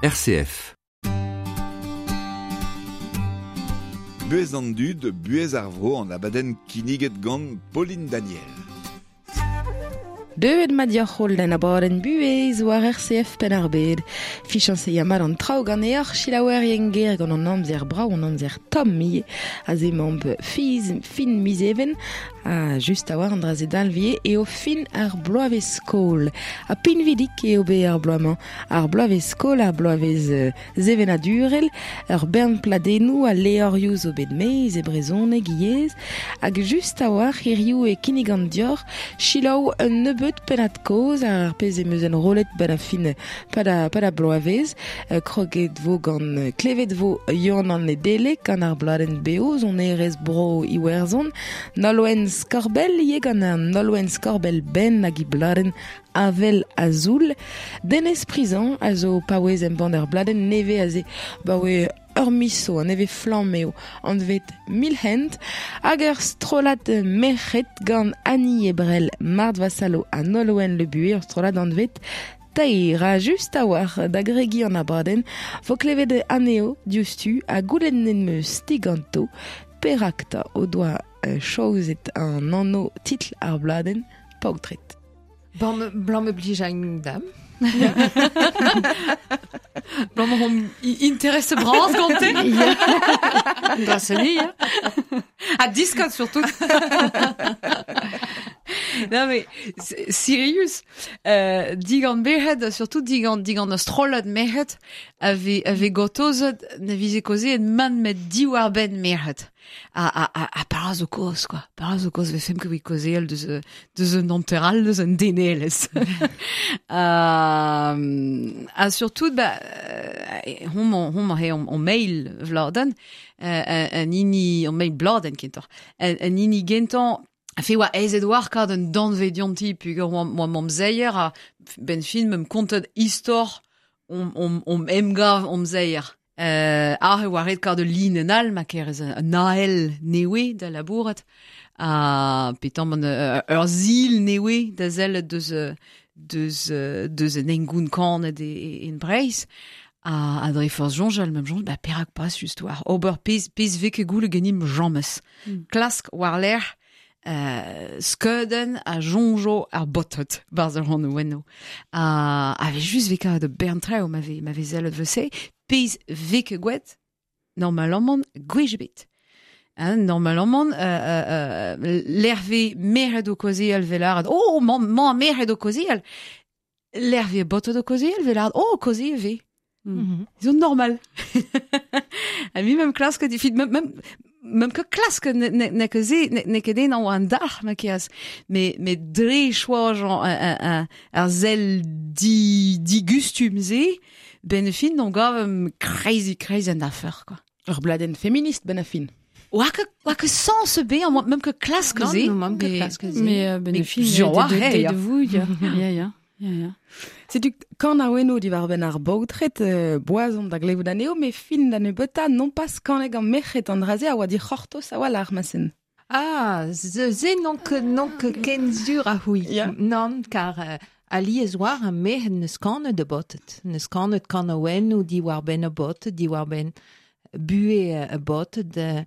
RCF. Buhez an dud, buhez ar vro an abadenn kinniget gant Pauline Daniel. Deuet ma dioc'h holl d'an abadenn buhez war RCF Penn-ar-Bed. Fichañs e ya mat an traoù ganeoc'h selaouerien ger gant an amzer brav, an amzer tomm ivez. Aze emaomp fiz, fin miz Even, ha just a-walc'h an dra-se dalvie eo fin ar bloavezh-skol. Ha pinvidik eo bet ar bloaz-mañ. Ar bloavezh-skol, ar bloavezh sevenadurel, ur bern pladennoù ha levrioù zo bet maez e brezhoneg ivez, hag just a-walc'h hiziv e kinnigan deoc'h selaou un nebeud pennad-kaoz ar pezh em eus enrollet 'benn ar fin pad ar bloavezh. Kroget vo gant klevet vo Yann an Nedeleg gant ar bladenn bev sonerezh bro Iwerzhon, Nolwenn Skorbell ivez gant an Nolwenn Skorbell Benn hag he bladenn Avel Azul. Denez Prizant a zo paouez embann ur bladenn nevez aze 'baoe ur miz zo, an nevez flamm eo, anvet Milhent, hag ur strollad merc'hed gant Annie Ebrel, Marthe Vassallo ha Nolwenn Le Buhé, ur strollad anvet Teir. Ha just a-walc'h da gregiñ an abadenn vo klevet anezho diouzhtu ha goulennet 'm eus diganto perak 'ta o doa chaozet an anv titl ar bladenn Paotred. Blam me blij ein dam. Blam hom interesse bras gante. Grâce ja. Ha diskat surtout. Non mais sirius, digant merc'hed, surtout digant digant ur strollad merc'hed ave ave gortozet na vize kaozeet mann met diwar-benn merc'hed. Ha, ha, ha, ha para zo kozh, quoi. Para zo kozh vefemp ket evit kaozeal deus, deus un hanter all, deus un denelezh. Ha, ha surtout, ba, homañ, homañ eo hon mail vladenn, an hini, hon mail bladenn kentoc'h, an hini gentañ a fe oa aezet war kad un danvez dionti peogwir oa, oa mamzeier ha benn fin meump kontet istor hom, hom, hom emgav amzeier. Aze e oa ret kaout ul linenn all ma kerez un ahel nevez da labourat ha petamant ur sil nevez da sellet deus deus deus un hengoun kanet e, en Breizh. Ha, ha dre forzh soñjal, me'm soñj, ba perak pas just war ober pezh pezh vez ket goulet ganimp james. Klask war-lerc'h skeudenn a soñjo ar baotred 'barzh ar c'hanoù Ha a vez just vez kavet ur bern traoù ma vez ma vez sellet evel-se. Pezh vez ket gwraet normalamant gwech ebet. Hein, normalamant lec'h vez merc'hed o kaozeal 'vel lâret oh mañ mañ merc'hed o kaozeal. Lec'h vez baotred o kaozeal 'vel lâret oh kaozeal 'vez. Zo normal. Ha mi meum klasket evit meum meum meum ket klasket n'eo ket se n'eo ket den an dalc'h ma keaz. Mais mais dre choajañ ar sell di digustum-se, ben fin on gav crazy crazy an afer quoi. Ur bladenn feminist ben a fin. Oa ket oa ket sens ebet, meum ket klask se. Non, meum ket klask se. Mais ben fin, de, de, de vous, ya, ya, ya. Ya, ya. Setu kanaouennoù diwar-benn ar baotred, boaz omp da glevout anezho, met fin da nebeutañ nompas kanet gant merc'hed an dra-se a oa dic'hortoz a-walc'h ma-sen. Ah, se n'on ket n'on ket ken sur a c'houi. Ya. Nann, kar alies war ar merc'hed n'eus kanet a baotred. N'eus kanet kanaouennoù diwar-benn a baotred, diwar-benn buhez a baotred,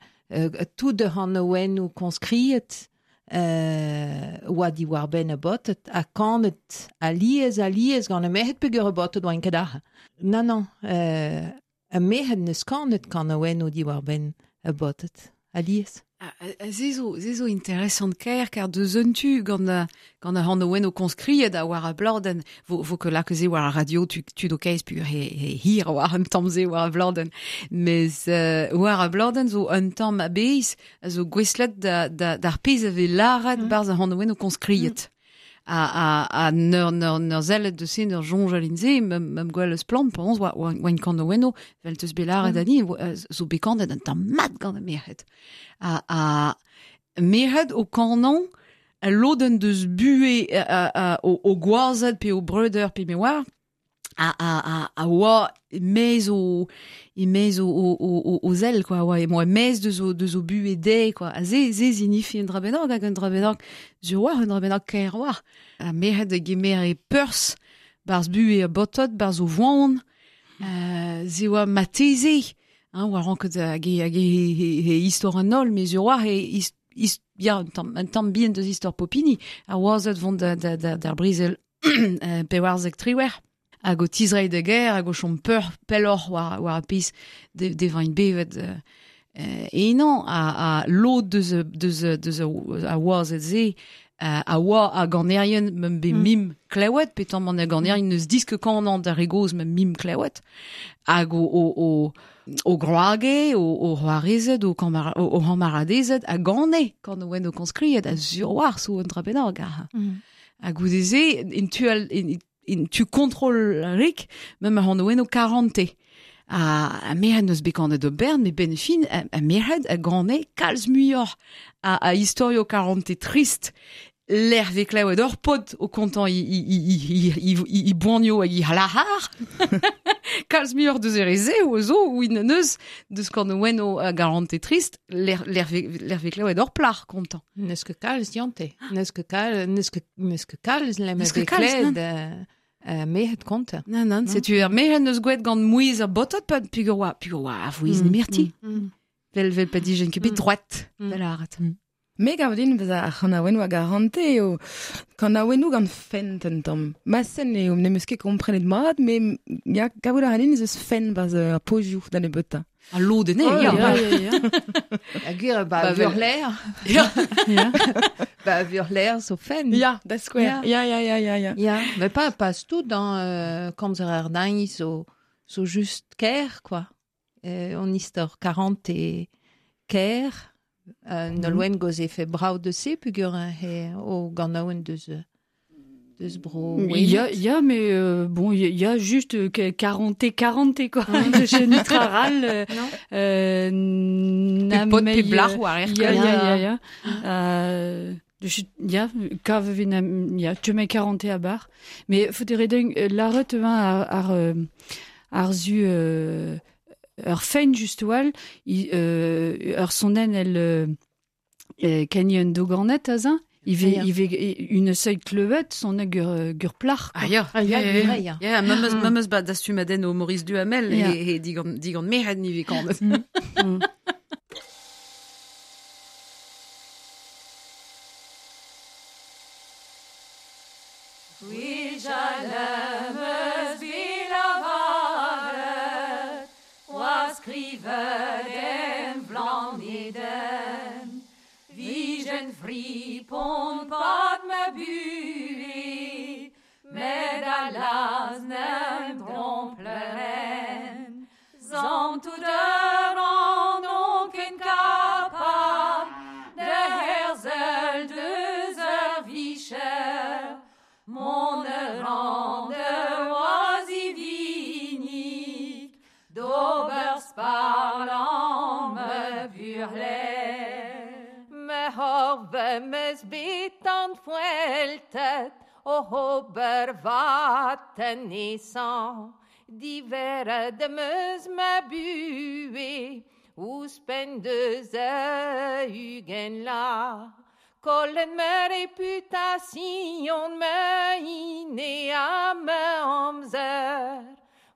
tout ar c'hanaouennoù koñskriet oa diwar-benn a baotred ha kanet alies alies gant ar merc'hed peogwir a baotred oaint ket aze. Nann, nann, ar merc'hed n'eus kanet kanaouennoù diwar-benn a baotred alies. Se zo, se zo interesant-kaer kar deus un tu gant gant ar c'hanaouennoù koñskriet ha war ar bladenn vo, vo ket lakaet se war ar radio tu, tud o kaez peogwir he, he hir war un tamm se war ar bladenn. Mes war ar bladenn zo un tamm a-bezh a zo gouestlet da, da, d'ar pezh a vez lâret barzh ar c'hanaouennoù koñskriet. Ha, ha, ha n'eur, n'eur, n'eur sellet deus se, n'eur soñjal in se, meum gwell eus splann, penaos oa, oa, oa kanaouennoù, vel teus bet lâret ani, zo bet kanet un tamm mat gant ar merc'hed. Ha, ha merc'hed o kanañ, al lodenn deus buhez o, o gwazed pe o breudeur pe me oar, a, a, a, a oa e-maez o e-maez o, o, o, o zell quoi, oa oa e-maez deus o deus o buhez dezhe quoi. Ha se se zinifi un dra bennak hag un dra bennak sur oa un dra bennak kaer oa. Ha merc'hed a gemere perzh 'barzh buhez ar baotred, 'barzh o voan. Ze oa mateze, hein, oa ranket hag he istor an holl, mais ur oa he ya, un tamm bihan deus istor Popini, a oazet vont d'ar brizel pewarzek triwer. Hag o tizrei de ger, hag o chom peur pelloc'h war ar pez de vain bevet. E non, a lod deus a oazet ze, a oa a ganerien mem be mim klewet, pe tamm an a ganerien neus disk kanan d'ar re goz mem mim klewet, hag o groage, o c'hoarezed, o c'hamaradezed, a gane kan oen o konskriet, a sur war so un dra bennak. Hag goudeze, in tu kontrol rik, mem a c'han oen o 40. A merc'hed neus bet kanet o bern, me ben fin, a merc'hed a gane kalz muioc'h a istorio 40 trist, l'er ve klevet ur pod o kontant i boanio hag i halahar. Kalz muioc'h deus ere ze o zo, ou in neus deus kan oen o a 40 trist, l'er ve klevet ur plac'h kontant. Neus ket kalz diante. Neus ket kalz lem ve kled. Merc'hed konta. Non, setu ar merc'hed neus gwelet gant mouez ar botot pa pugur oa a vouez nemerti. Vel pa dijen ket bet droit da lâret. Me gav din vez ar c'hanaouennoù a garante eo kanaouennoù gant fent un tamm. Ma sen eo n'em eus ket komprenet mat, me ya gavout a ran eus fent baz ar pozioù da nebeutañ. A lodene, ya. A gwir, ba vurler. Ya. Ba vurler zo fent. Ya, da skouer. Ya. Ya, mais pas tout dans komzer ar dañ zo just ker, quoi. On istor 40 e ker. Nolwenn goz e fe brao de se pugur he o ganaouen deus bro. Ya, mais bon, il y a juste 40 quoi. Je nitraral. Na pe blach war er. Ya. Ya, kav ya, tu mets 40 a bar. Mais faut dire l'arret ar zu ur fein just oal, ur sonnen el kenny un doganet azin, il ve une seuil klevet son gur plach. Ah ya, ya. Ya, memeus ba dastumaden o Maurice Duhamel e digant merc'hed ni ve kanet. Fripon pat me bue, med alas nem trompleren. Zant tout an onken kapab, de herzel deus ur vicher, mon ran de oazivinik, d'ober sparlant me burler. Horve meus bet an fueltet o hober vaten esan diveret meus ma bue ouzhpenn deus ugen la kollet ma reputasion ma ine ha ma amzer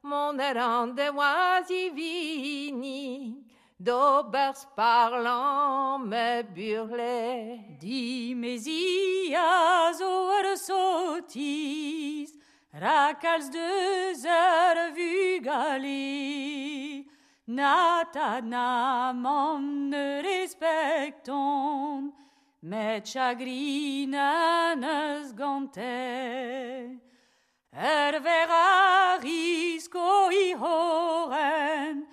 mon ran de oazivinik d'ober sparlant me burle. Di mezi a zo ur sotiz, rakalz deus ur vugale. Na tad na mamm ne respektont, met chagrina neus gante. Ur ver a risko i horen,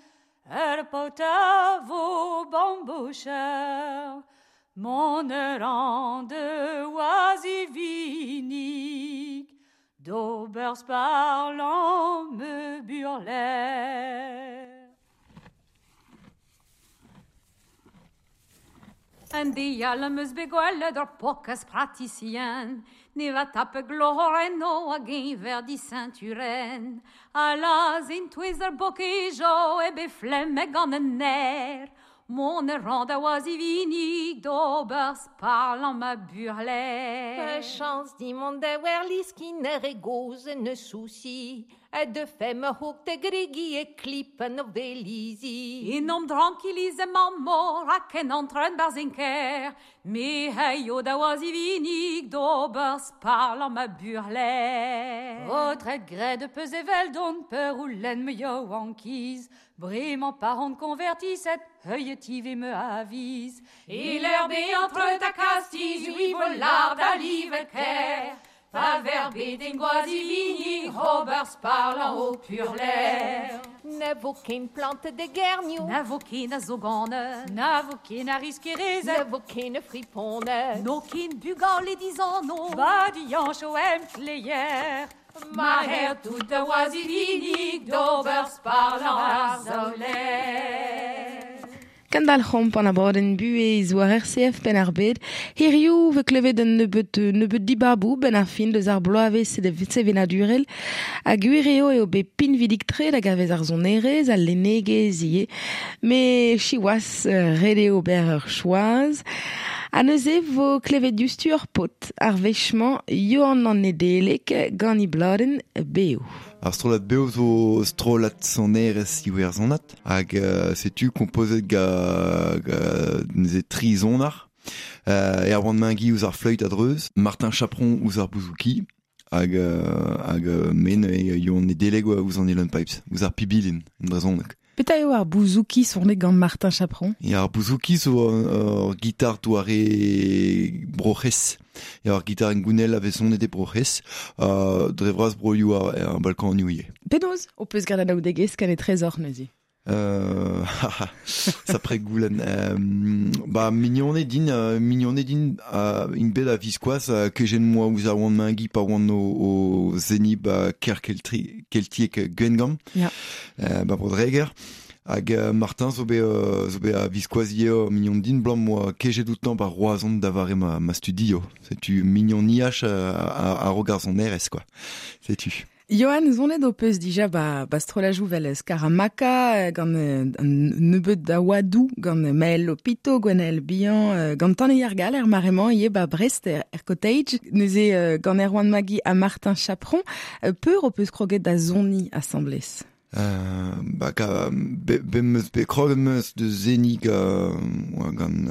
ur paotr a vo bambocher, mon ran de oazivinik, d'ober sparlant me burler. An dial meus bet gwelet ur pokas praticien, ne va tape gloren o hag enver di ceinturen. A laz in touez ar bokejo e be flemme gant an ner. Mon ran da oazivinik d'ober sparlant ma burler. Chance di mont da wer liskin er e goz ne souci. De fem hoek te grigi e klippen of delizi. In om tranquillise mammo, raken antren barzinker. Me heio da oazivinig d'ober sparl ma burler. Votre gré de peus evel don peur ou len me yo ankiz. Bremañ parent convertisset, heuilletive me avise. Et l'herbe entre ta castiz, ui volard a livet ker. Pa verbe den goazivini, Robert sparlant au purler. Na vo ken plante de gernio. Na vo ken a zogane. Na vo ken a riskerezet. Na vo ken a fripone. No ken bugal e dizano. Ba dianch o em kleyer. Ma her tout a oazivini, d'ober sparlant ar zaoler. Kandal c'homp an abadenn buhez war RCF ben ar bed. Hiriou ve klevet un nebeut dibabou ben ar fin deus ar bloavezh sevenadurel. Ha gwir eo eo bet pinvidik tre da gavez ar sonerezh, al lennegezh ivez. Me siwazh ret eo ober ur choaz. Ha neuze vo klevet diouzhtu ur paotr, ar wech-mañ Johan an Nedeleg gant e bladenn Beo. Ar strollad Beo zo strollad sonerezh iwerzhonat hag setu kompozet ga neuze tri sonar. Erwan Mengi ouzh ar fleüt a-dreuz, Martin Chapron ouzh ar bouzouki hag men Yoann Nedeleg ouzh an uilleann pipes, ouzh ar pibilin en brezhoneg. Petra eo ar bouzouki sonet gant Martin Chapron? Ya, ar bouzouki zo ur gitar doare Bro-C'hres. Ya, ar gitar engounel a vez sonet e Bro-C'hres, dre vras broioù ar Balkanioù ivez. Penaos ho peus graet anaoudegezh gant e trezor neuze? Sapre goulenn. Ba mignoned din int bet a-viskoazh kejet 'moa ouzh Erwan Mengi pa oan o seniñ ba kêr keltiek Gwengamp, ba Bro-Dreger. Hag Martin zo bet a-viskoazh ivez mignon din, 'blam 'moa kejet outañ ba Roazhon da vare ma studio. Setu mignoniaj a-raok ar sonerezh, quoi. Setu. Johan, zonet ho peus dija ba strollajoù vel Scaramacca, gant an nebeud da oadoù, gant Maël Lopito, Gwenaël Bihan, gant Tangi ar Gall er mare-mañ ivez ba Brest er Cottage, neuze gant Erwan Mengi ha Martin Chapron. Peur ho peus kroget da soniñ asambles? Ba be 'm eus bet kroget 'm eus da seniñ gant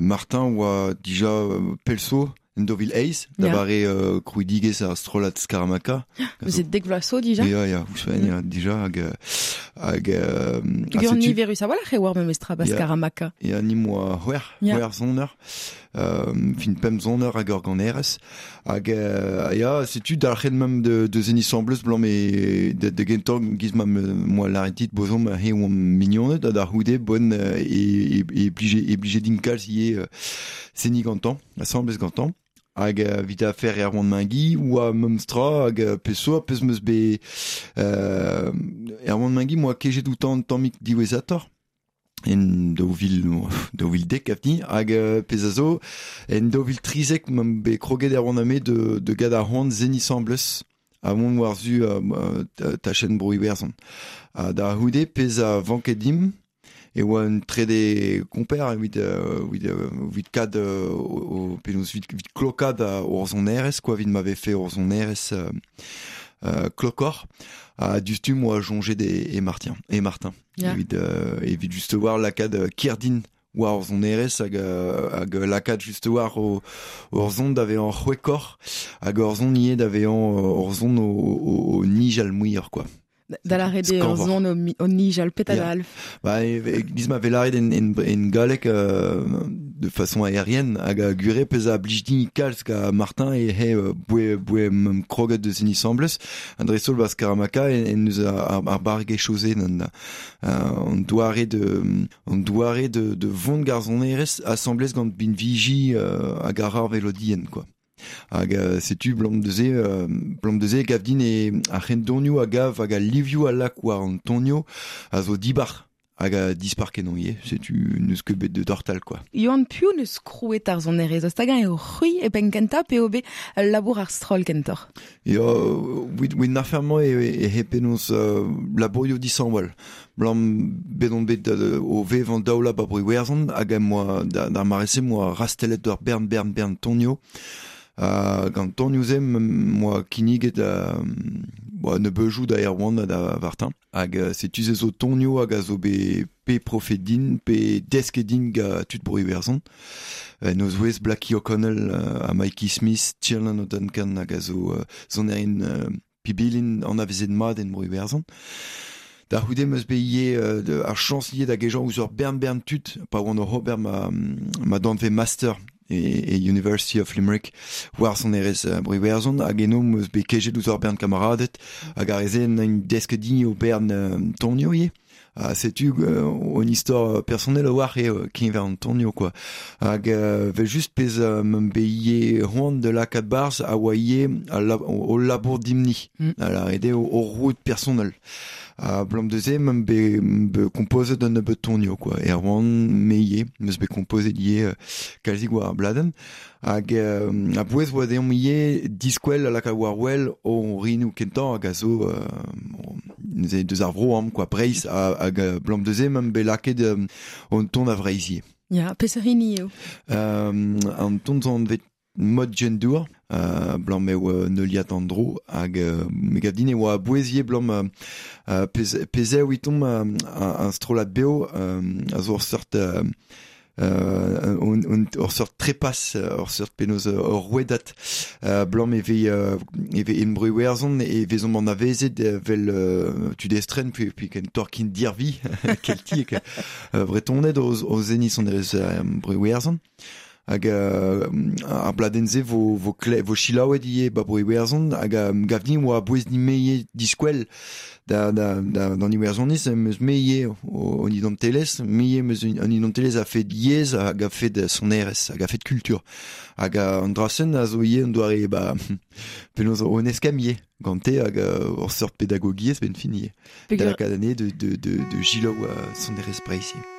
Martin oa dija pell zo en 2008, da vare krouidigezh ar strollad Scaramacca. Vous êtes dek vloaz zo dija? Ya, ouzhpenn, ya, dija, hag... Peogwir niverus a-walc'h eo war memestra ba Scaramacca. Ya, ni 'moa c'hwec'h soner, fin pemp soner hag ur ganerez. Hag ya, setu dalc'het 'meump da seniñ asambles 'blam e da gentañ giz ma 'moa lâret dit bozomp he oamp mignoned ha da c'houde bon e blije din kalz ivez seniñ gantañ, asambles gantañ. Hag evit afer Erwan Mengi oa memestra hag peseurt peus 'meus bet Erwan Mengi 'moa kejet outañ un tammig diwezhatoc'h en 2010 avni hag pezh a zo en 2013 'meump bet kroget Erwan ha me de gad ar c'hoant seniñ asambles ha mont war-zu tachenn Bro-Iwerzhon. Ha da c'houde pezh a vanke dimp e oa un trede komper evit kad penaos evit klokaat hor sonerezh quoi, evit ma vefe hor sonerezh klokoc'h. Ha diouzhtu 'moa soñjet e Martin. Evit just war lakaat kerdin war hor sonerezh hag lakaat just war hor son da vezañ c'hwekoc'h hag hor son ivez da vezañ hor son o nijal muioc'h quoi. Da lâret eo ur son o nijal petra da alf. Ba, giz ma vez lâret en galleg de façon aérienne hag a gure pezh a blij din kalz ga Martin e he boe kroget deus en asambles an dreist-holl ba Scaramacca en deus ar barregezhioù-se an doare de vont ga'r sonerezh asambles gant binviji hag ar velodienn quoi. Hag setu 'blam neuze gav din e ar c'hendonioù a gav hag al livioù a lak war an tonioù a zo dibar hag a dispar kenañ ivez, setu n'eus ket bet de dortal quoi. Yoann, piv neus krouet ar sonerezh? Eus hag-eñ eo c'hwi e penn kentañ pe eo bet ul labour ar stroll kentoc'h? Ya, wit afer-mañ e he penaos labourioù dishañval. 'Blam bet on bet o vevañ daoula ba Bro-Iwerzhon hag em boa d'ar mare-se 'moa rastellet ur bern tonioù. Gant tonioù-se 'moa kinniget bo, ne beujou da Erwan da Vartin. Hag setu ze zo tonio hag a zo be pe profet din, pe deske din ga tud bro Iwerzhon. Noz wez Blackie O'Connell ha Mikey Smith, Tiernan O'Duncan hag a zo sonerien pibilin an avezet mat en bro Iwerzhon. Da c'houde meus bet ivez ar chañs ivez da gejañ ouzh ur bern bern tud, pa oan oc'h ober ma danvez master e University of Limerick war sonerezh bro Iwerzhon, hag eno meus bet kejet ouzh ur bern kamaradet, hag ar re-se n'int desket din o bern tonio ivez. Ha setu un istor personnel a-walc'h eo keñver an tonio quoi. Hag vel just pezh m'am bet ivez c'hoant da lakaat barzh a oa ivez o labour dimp-ni. A lâret eo o roud personnel. Ha blam deus-se m'am bet kompozet un nebeud tonio quoi. Erwan me ivez, m'eus bet kompozet ivez kalzik war ar bladenn. Hag a-bouez oa deomp ivez diskwel a lakaat war wel o rinoù kentañ hag a zo neuze deus ar vro am quoi, Breizh hag blam deus-se m'am bet lakaet an ton a Vreizh ivez. Ya, peseurt hini eo? An ton zo anvet mod gendour, blam eo neuliad an dro, hag me gav din e oa a-bouez ivez blam pezh eo evitomp un strollad bev a zo ur seurt ur seurt trepas, ur seurt penaos ur rouedad, blam e vez en bro Iwerzhon e vezomp anavezet vel tud estren pe kentoc'h kin dirvi keltiek bretoned o zeniñ sonerezh bro Iwerzhon. Hag ar bladenn-se vo selaouet ivez ba bro Iwerzhon, hag gav din oa a-bouez din-me ivez diskwel d'an Iwerzhoniz, em eus me ivez an identelezh, me ivez em eus an identelezh a-fet yezh hag a-fet sonerezh hag a-fet kultur. Hag an dra-sen a zo ivez un doare ba penaos on eskemm ivez gante hag ur seurt pedagogiezh benn fin ivez. Da lakaat anezhe de selaou sonerezh Breizh ivez.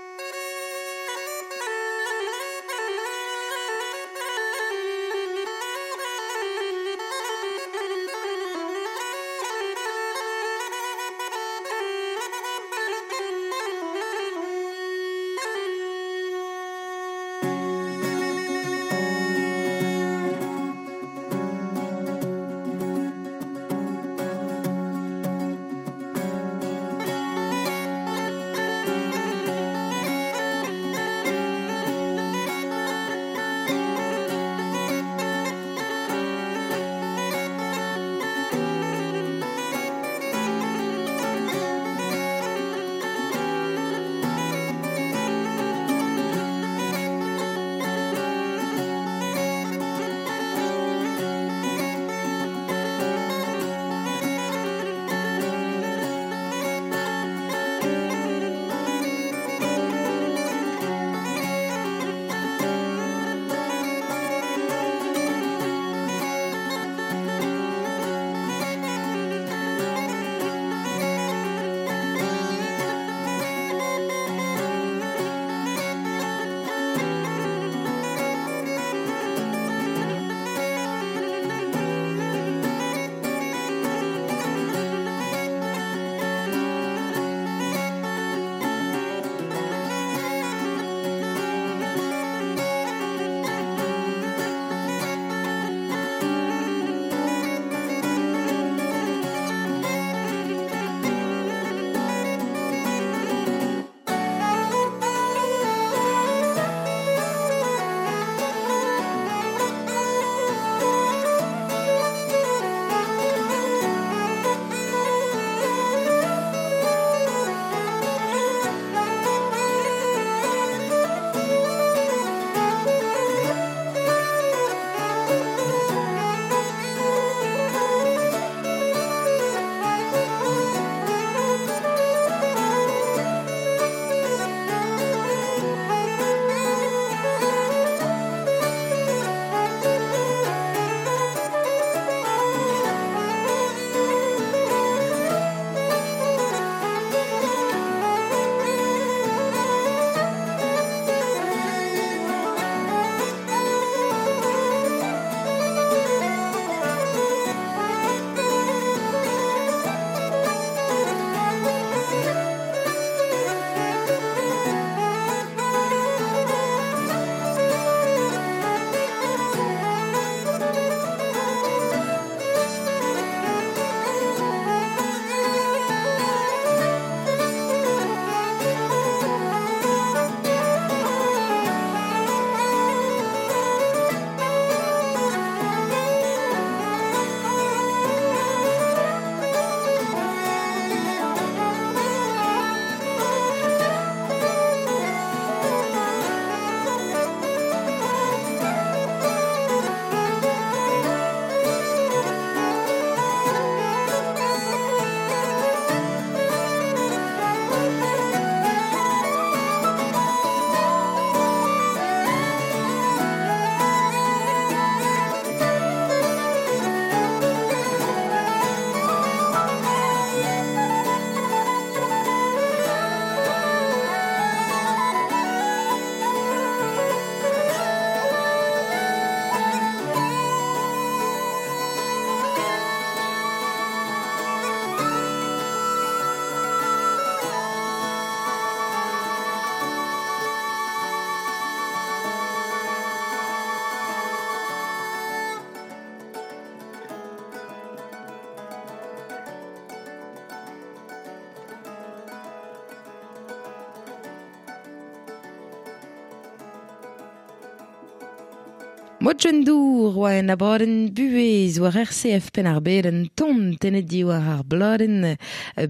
Modjendour oa en abadenn buhez war RCF Penn-ar-Bed un ton tennet diwar ar bladenn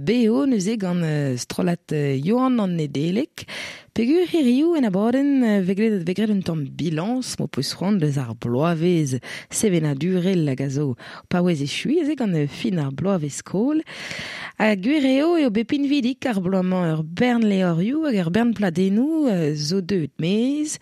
BO neuze gant strollad Johan an Nedeleg. Pegur hiriv en abadenn vegret vegret un tamm bilañs m'ho peus c'hoant deus ar bloavezh sevenadurel hag a zo paouez echui eze gant fin ar bloavezh skol. Ha gwir eo eo bet pinvidik ar bloaz-mañ ur bern levrioù hag ur bern pladennoù zo deuet maez.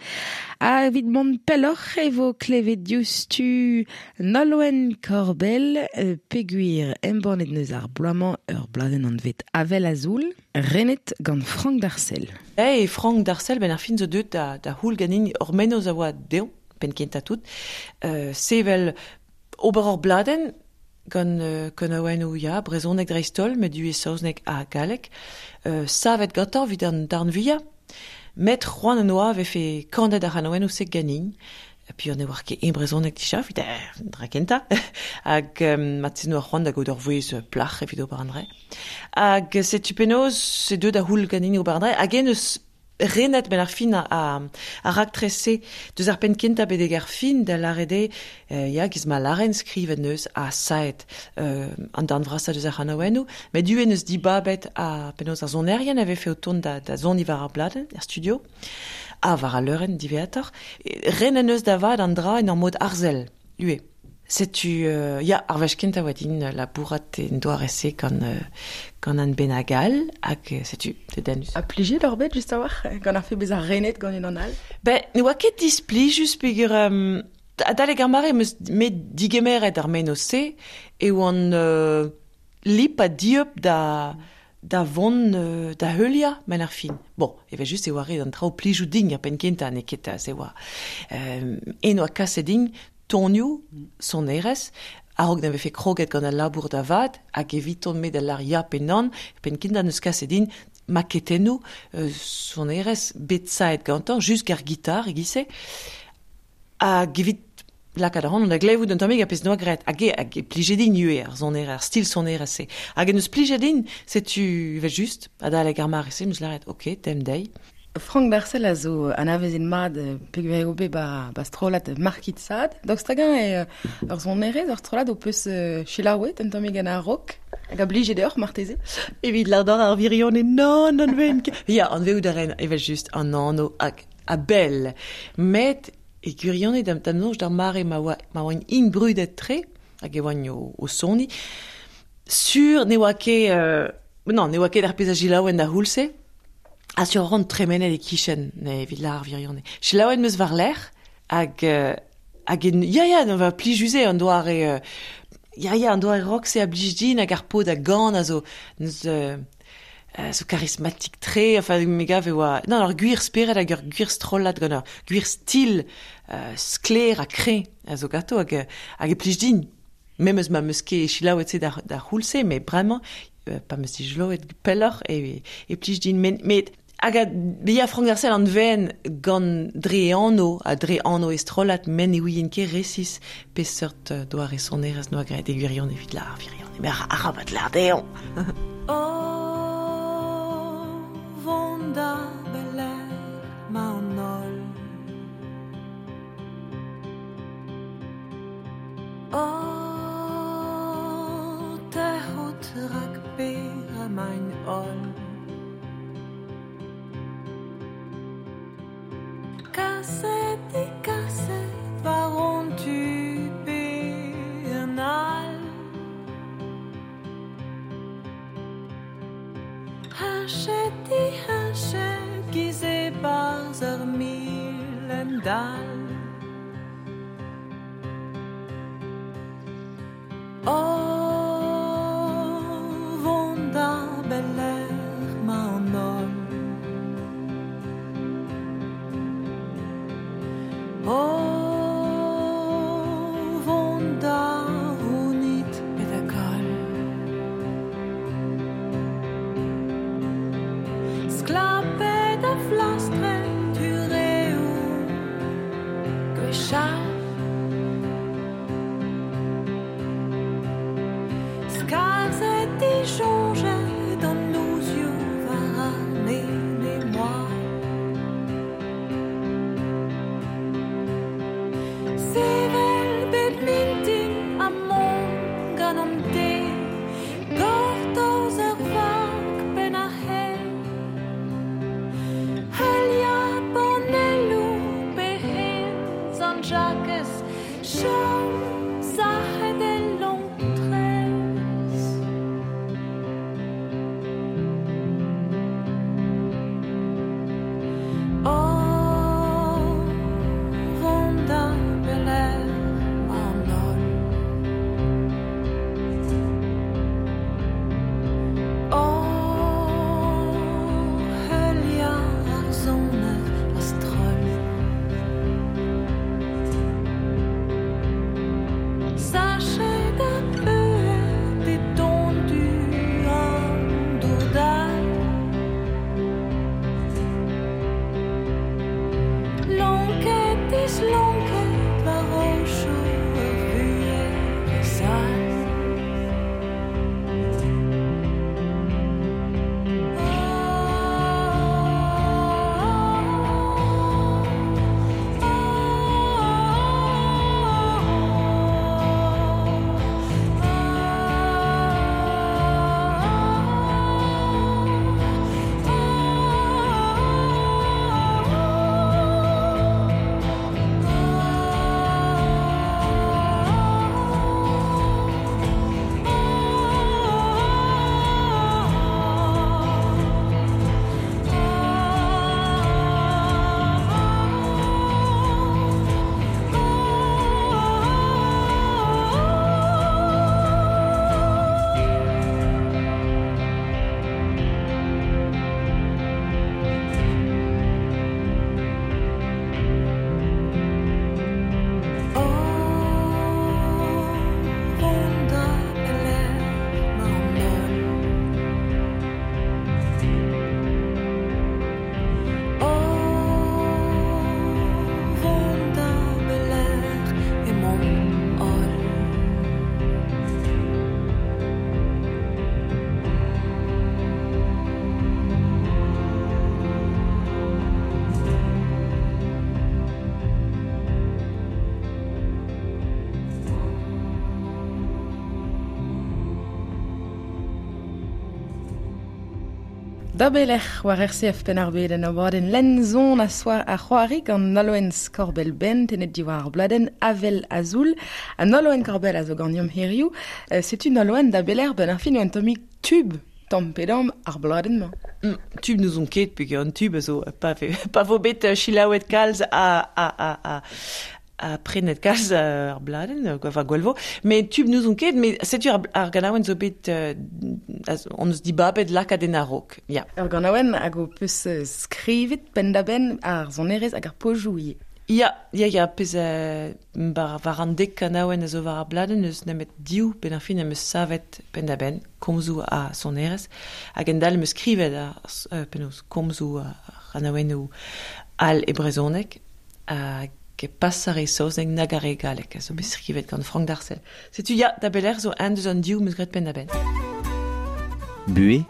Ha evit mont pelloc'h e vo klevet diouzhtu Nolwenn Korbell peogwir embannet neus ar bloaz-mañ ur bladenn anvet Avel Azul, renet gant Frank Darcel. Hey, Frank Darcel, ben ar fin zo deuet da houl ganin ur mennozh a oa dezhañ, penn kentañ tout, sevel ober ur bladenn gant kanaouennoù ya, brezhoneg dreist-holl, met ivez saozneg ha galleg, savet gantañ evit an darn vuiañ. Met c'hoant en oa vefe kanet ar c'hanaouennoù-se ganin. Et puis on ne oar ket e brezhoneg dija, evit dra kentañ. Hag mat noa c'hoant da gaout ur vouezh plac'h evit ober an dra. Hag setu penaos se deuet da houl ganin ober an dra. Hag en eus renet ben ar fin a raktres-se deus ar penn kentañ betek ar fin da lâret eo ya giz ma lâren skrivet neus ha saet an darn vrasañ deus ar c'hanaouennoù met ivez neus dibabet a penaos ar sonerien a vefe o tont da soniñ war ar bladenn er studio ha war al leurenn diwezhatoc'h renet neus da vat an dra en ur mod arzel ivez. Setu ya ar wech kentañ oa din labourat en doare-se gant an bennak all hag setu dedennus. Ha plijet oc'h bet just a-walc'h gant ar fe bezañ renet gant unan all? Ben ne oa ket displijus peogwir adalek ar mare em eus me digemeret ar mennozh-se e oan lip ha dieub da vont da heuliañ men ar fin. Bon, evel-just e oa ret an traoù plijout din ar penn kentañ n'eo ket se oa. En oa kaset din tonioù, sonerezh, a-raok na vefe kroget gant al labour da vat, hag eviton me da lâr ya pe nann, penn kentañ neus kaset din maketennoù sonerezh bet saet gantañ, just ar gitar e-giz-se, hag evit lakaat ac'hanon da glevout un tammig ar pezh noa graet, hag e plije din ivez ar sonerezh, ar stil sonerezh-se. Hag en deus plijet din, setu evel-just, adalek ar mare-se, 'm eus lâret, ok, tem dezhi. Frank Darcel a zo anavezet mat peogwir eo bet ba strollad Marquis de Sade. Daoust hag-eñ eo ur sonerezh, ur strollad ho peus selaouet un tammig gant ar rock hag a blije deoc'h marteze? Evit lâret ar wirionez, nann, anvezout ket. Ya, anvezout a ren evel-just an anv hag a-bell. Met e gwirionez da'm soñj d'ar mare ma oa int brudet-tre hag e oant o soniñ, sur ne oa ket non, ne oa ket ar pezh a selaouen d'ar c'houlz-se. Ha sur ran tremenet e-kichen evit lâr ar wirionez. Selaouet 'm eus war-lerc'h hag ya ya va plijus eo an doare ya ya an doare rock-se a blij din hag ar paotr a gan a zo neus zo karismatik-tre, enfin me gav e oa non ur gwir spered hag ur gwir strollad gant ur gwir stil sklaer ha kreñv a zo ganto hag e plij din. Memes ma 'm eus ket selaouet se d'ar c'houlz-se, met bremañ pa 'm eus dijoloet pelloc'h e plij din. Met hag a ya Frank Darcel anvezen gant dre e anv ha dre anv e strollad, met ne ouien ket resis peseurt doare sonerezh noa graet e gwirionez evit lâr ar wirionez. Met arabat lâr dezhañ. O vont da belec'h 'ma an holl. O tec'hout rak pera 'maint holl. Kaset dikaset war hon tu pe un all. Heñchet diheñchet giz e-barzh ur milendall. O vont da belec'h 'ma an holl. O vont da c'hounit pe da goll. Sklapet ha flastret hureoù gwechall. Skarzhet disoñjet an nozioù war ar mene-moal. Da belec'h war RCF Penn-ar-Bed en abadenn lenzon a soar ar c'hoari gant Nolwenn Korbell ben tenet diwar ar bladenn Avel Azul. Ha Nolwenn Korbell a zo ganeomp hiziv. Setu Nolwenn da belec'h ben ar fin un tammig tub tamm pe damm ar bladenn-mañ. Tub n'ouzon ket peogwir an tub a zo pa vo bet selaouet kalz a prenet kalz ar bladenn, enfin gwell vo. Met tub n'ouzon ket, met setu ar ganaouenn zo bet on eus dibabet lakaat en a-raok. Ya. Ur ganaouenn hag ho peus skrivet penn-da-benn ar sonerezh hag ar pozioù ivez. Ya, pezh war an dek kanaouenn a zo war ar bladenn eus nemet div benn ar fin am eus savet penn-da-benn komzoù ha sonerezh hag endal am eus skrivet ar penaos komzoù ar c'hanaouennoù all e brezhoneg hag pas ar re saozneg nag ar re galleg a zo bet skrivet gant Frank Darcel. Setu ya, da belec'h zo un deus an div 'm eus graet penn-da-benn. Buhez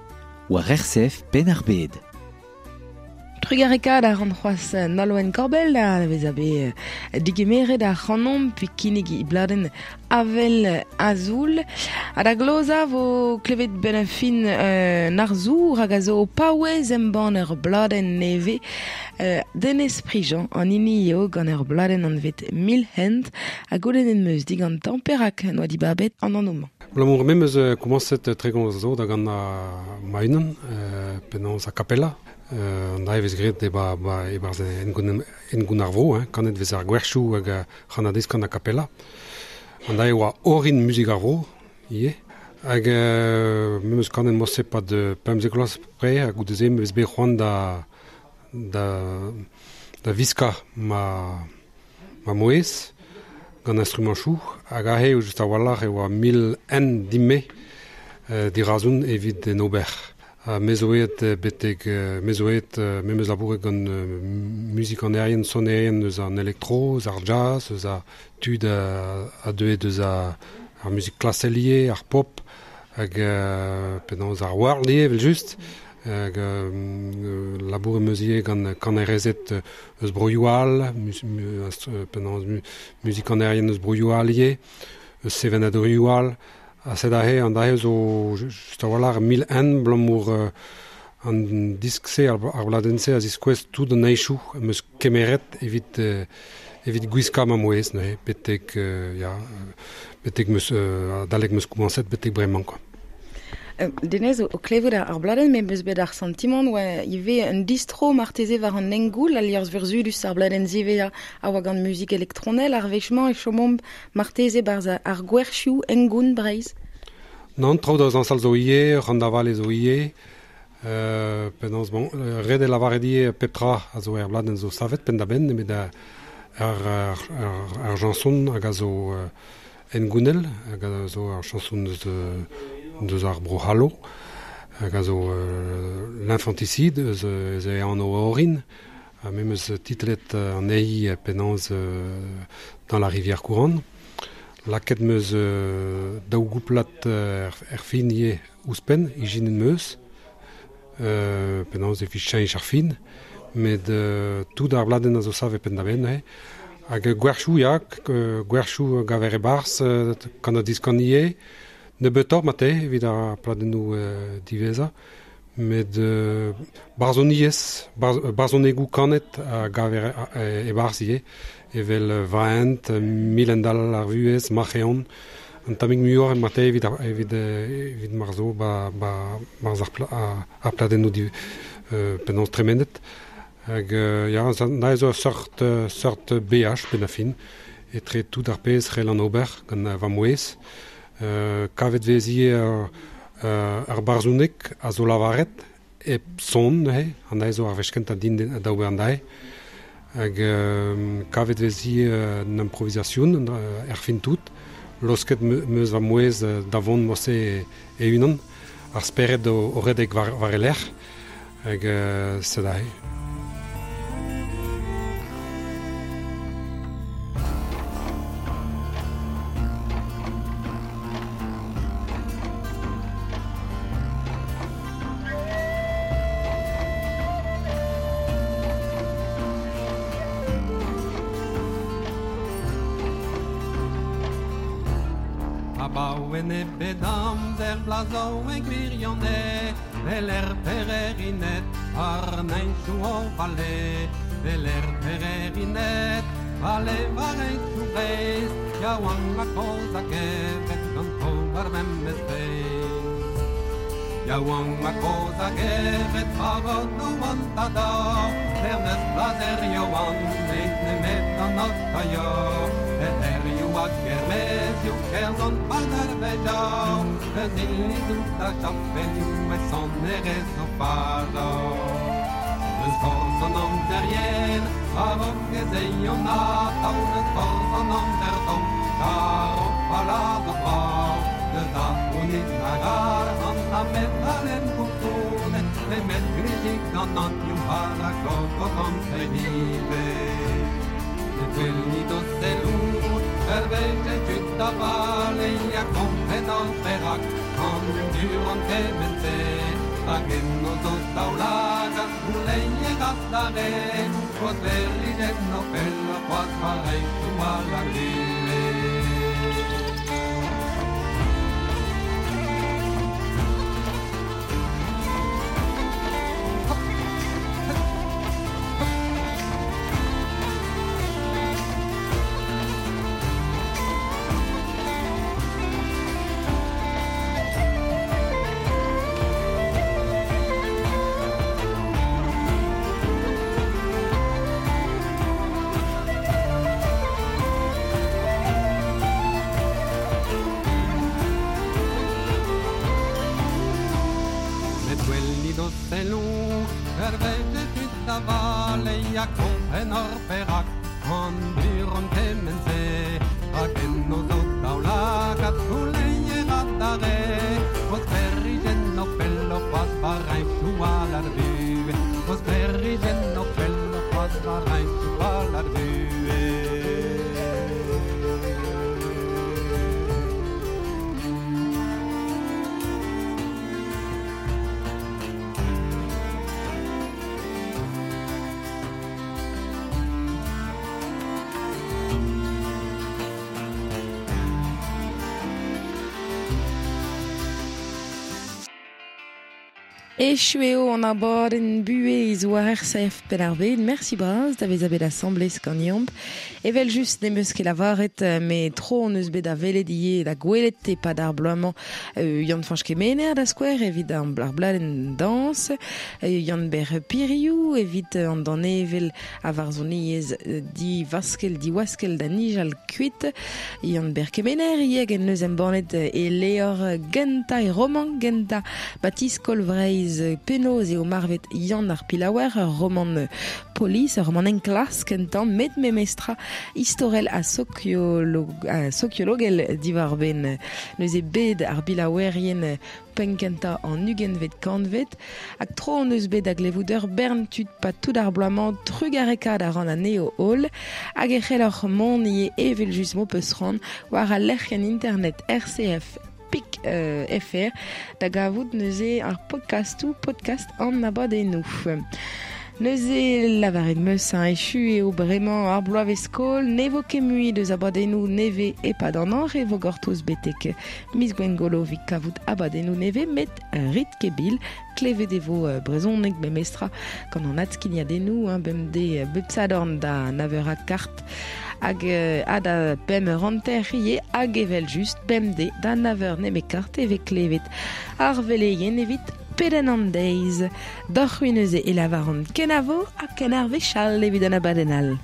war RCF Penn-ar-Bed. Trugarekaat a ran c'hoazh Nolwenn Korbell da vezañ bet digemeret ar c'hanomp pe kinnig e bladenn Avel Azul. Ha da glozañ vo klevet benn ar fin un arzour hag a zo paouez embann ur bladenn nevez. Denez Prigent an hini eo gant ur bladenn anvet Mil Hent ha goulennet 'm eus digantañ perak n'oa dibabet an anv-mañ. Abalamour me 'm eus komañset tregont zo da gant ma-unan penaos a cappella. An dra e vez graet e-barzh hengoun ar vro, hein, kanet vez ar gwerchoù hag ar c'hannadez gant a cappella. An dra e oa orin muzik ar vro ivez. Hag me 'm eus kanet morse pad 15 vloaz pre ha goude-se 'm eus bet c'hoant da viskañ ma mouezh gant instrumanchoù hag aze eo just a-walc'h e oa mil en din-me dirazon evit en ober. Me zo aet betek me zo aet me 'm eus labouret gant muzikanerien, sonerien eus an elektro, eus ar jazz, eus ar tud a deue deus ar muzik klasel ivez, ar pop, hag penaos ar world ivez evel-just. Hag labouret 'm eus ivez gant kanerezed eus broioù all, penaos muzikanerien eus broioù all ivez, eus sevenadurioù all. Ha sed aze, an dra-se zo just a-walc'h mil en abalamour an disk-se, ar bladenn-se a ziskouez tout an aechoù am eus kemeret evit gwiskañ ma mouezh neuze, betek ya, betek 'm eus adalek 'm eus komañset betek bremañ quoi. Denez, o klevout ar bladenn, me 'm eus bet ar santimant oa ivez un distro marteze war an hengoul, al liorzh vurzhudus ar bladenn ziwezhañ a oa gant muzik elektronel, ar wech-mañ e chomomp marteze barzh ar gwerchoù hengoun Breizh. Nann, traoù da zañsal zo ivez, rann-da-vale zo ivez. Penaos, bon, ret eo lavaret ivez pep tra a zo er bladenn zo savet penn-da-benn, nemet ar chañson hag a zo hengounel, hag a zo ar chañson deus ar Bro-C'hallo, hag a zo l'infanticide eus e anv orin, ha me 'm eus titlet anezhi penaos dans la rivière courante. Lakaet 'm eus daou gouplad er fin ivez ouzhpenn, ijinet 'm eus, penaos evit cheñch ar fin, met tout ar bladenn a zo savet penn-da-benn neuze. Hag gwerchoù, ya, gwerchoù gaver e-barzh, gant an diskan ivez, nebeutoc'h mate evit ar pladennoù diwezhañ, met barzhoniezh, barzhonegoù kanet a gaver e-barzh ivez, evel Vaent, Milendall ar vuhez, Marc'heon, an tammig muioc'h mate evit mar zo barzh ar pladennoù penaos tremenet. Hag ya, na zo ur seurt beaj benn ar fin, etre tout ar pezh c'hell an ober gant va mouezh. Kavet vez ivez ar barzhoneg a zo lavaret hep son neuze, an dra zo ar wech kentañ din da ober an dra. Hag kavet vez ivez un improvisation er fin tout, losket 'm eus va mouezh da vont morse e-unan, ar spered o redek war e lerc'h, hag sed aze. Abaoe nebet amzer blazo e gwirionez Veler pererinet ar neinchou o vale Veler pererinet vale war einchou breiz Yaouank a koz a gevet ganto war memez beiz Yaouank a koz a gevet war an an tada Lerneus blazer yoan neit nemet an otaio Eherioù hag ermezioù kerzont padar vejañ Eus ilizoù da chapelioù e sonerezh o fajañ Eus forzh an amzer yen a-raok ez eion atav Eus forzh an amzer tomm kar o palad o brav Deus da c'hounit nag arc'hant na medalenn koulskoude Nemet glizig gant an ioù har a klok an treid ivez Ne gwellit o selloù ur wech e tud da vale ha kompren an perak an durant kement-se Hag enno zo daoulagad gouleier adarre O sklêrijenn o pelloc'h c'hoazh war hentoù all ar vuhez. Met gwelit o selloù ur wech e tud da vale ha kompren hor perak an durant kement-se Hag enno zo daoulagad gouleier adarre O sklêrijenn o pelloc'h c'hoazh war hentoù all ar vuhez O sklêrijenn o pelloc'h c'hoazh war hentoù all ar vuhez. Echu eo an abadenn buhez war RCF Penn-ar-Bed. Mersi bras da vezañ bet asambles ganeomp. Evel just n'em eus ket lavaret, met tro hon eus bet da welet ivez da gwelet e-pad ar bloaz-mañ Yann-Fañch Kemener da skouer evit ar bladenn dañs, Yann-Ber Piriou evit an danevell a varzhoniezh divaskell diwaskell da nijal kuit, Yann-Ber Kemener ivez hag en deus embannet e levr gentañ, e romant gentañ Batiskol Vreizh penaos eo marvet Yann ar Pilaouer, ur romant polis, ur romant enklask kentañ, met memestra istorel ha sokiologel diwar-benn neuze bed ar bilaouerien penn-kentañ an ugentvet kantved. Hag tro hon eus bet da glevout ur bern tud pa tout ar bloaz-mañ trugarekaat a ran anezho holl hag e c'helloc'h mont ivez evel-just m'ho peus c'hoant war al lec'hienn internet rcf pik fr da gavout neuze ar podkastoù podcast an abadennoù. Neuze lavaret 'meus hein, echu eo bremañ ar bloavezh-skol, ne vo ket mui deus abadennoù nevez e-pad an hañv, e vo gortoz betek miz Gwengolo evit kavout abadennoù nevez, met rit ket bil, klevet e vo brezhoneg memestra gant an adskignadennoù hein, bemdez bep sadorn da nav eur ha kart hag ha da pemp eur hanter ivez hag evel-just bemdez da nav eur nemet kart e vez klevet ar veleien evit pedenn an deiz. Deoc'h-c'hwi neuze e lavaran kenavo ha ken ar wech all evit an abadenn all.